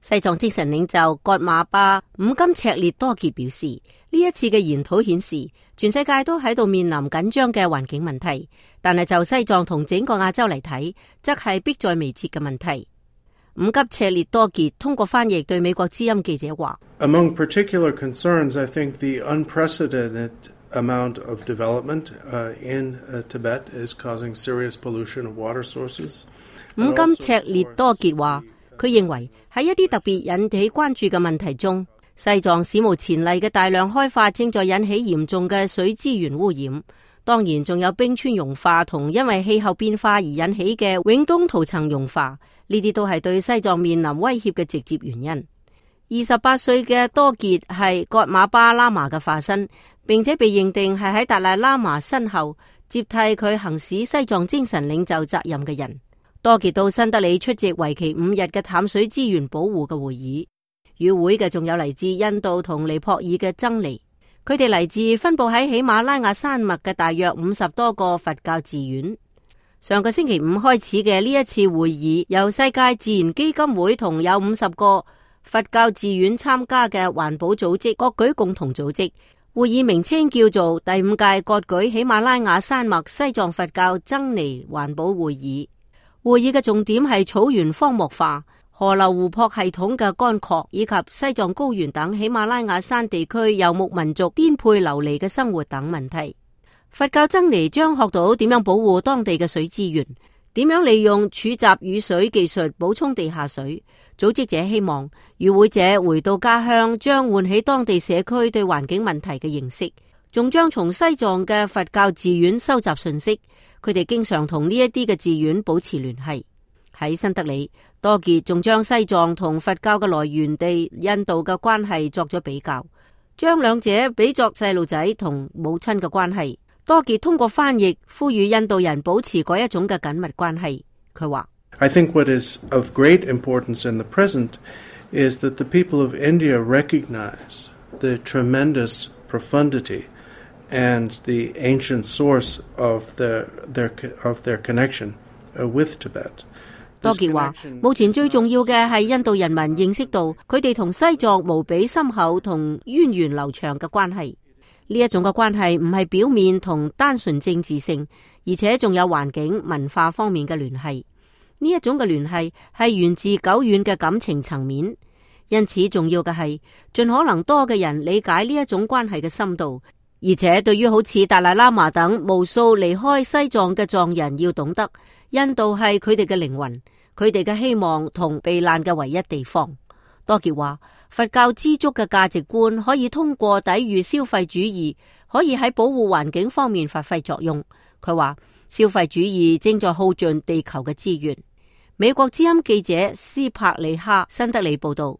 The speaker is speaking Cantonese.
西藏精神領袖葛馬巴五金赤烈多傑表示，呢一次嘅研討顯示，全世界都喺度面臨緊張嘅環境問題，但係就西藏同整個亞洲嚟睇，則係迫在眉睫嘅問題。五金赤烈多傑通過翻譯對美國之音記者話 ：Among particular concerns, I think the unprecedented amount of development in Tibet is causing serious pollution of water sources。五金赤烈多傑話，佢認為喺一啲特別引起關注嘅問題中，西藏史無前例嘅大量開發正在引起嚴重嘅水資源污染。當然仲有冰川融化同因為氣候變化而引起嘅永冬土層融化，呢啲都係對西藏面臨威脅嘅直接原因。28歲嘅多傑係葛馬巴喇嘛嘅化身，並且被認定係喺達賴喇嘛身後接替佢行使西藏精神領袖責任嘅人。多傑到新德里出席為期5日嘅淡水資源保護嘅會議，與會嘅仲有嚟自印度同尼泊爾嘅僧尼，佢哋嚟自分布喺喜馬拉雅山脈嘅大約50多個佛教寺院。上個星期5開始嘅呢一次會議，由世界自然基金會同有50個佛教寺院參加嘅環保組織各舉共同組織。會議名稱叫做第5屆各舉喜馬拉雅山脈西藏佛教僧尼環保會議。會議嘅重點係草原荒漠化、河流湖泊系統嘅乾涸，以及西藏高原等喜馬拉雅山地區游牧民族顛沛流離嘅生活等問題。佛教僧尼將學到點樣保護當地嘅水資源，點樣利用儲集雨水技術補充地下水。組織者希望與會者回到家鄉，將喚起當地社區對環境問題嘅認識，仲將從西藏嘅佛教寺院收集信息。佢哋經常同呢一啲嘅寺院保持聯繫。喺新德里，多傑仲將西藏同佛教嘅來源地印度嘅關係作咗比較，將兩者比作細路仔同母親嘅關係。多傑通過翻譯呼籲印度人保持嗰一種嘅緊密關係。佢話：I think what is of great importance in the present is that the people of India recognize the tremendous profundity and the ancient source of their connection with Tibet。多傑話：目前最重要嘅係印度人民認識到佢哋同西藏無比深厚同源遠流長嘅關係。呢一種嘅關係唔係表面同單純政治性，而且仲有環境文化方面嘅聯繫。呢一種嘅聯繫係源自久遠嘅感情層面，因此重要嘅係盡可能多嘅人理解呢一種關係嘅深度。而且對於好似達賴喇嘛等無數離開西藏嘅藏人，要懂得印度係佢哋嘅靈魂，佢哋嘅希望同避難嘅唯一地方。多傑話，佛教知足嘅價值觀可以通過抵禦消費主義，可以喺保護環境方面發揮作用。佢話消費主義正在耗盡地球嘅資源。美國之音記者斯帕里克新德里報道。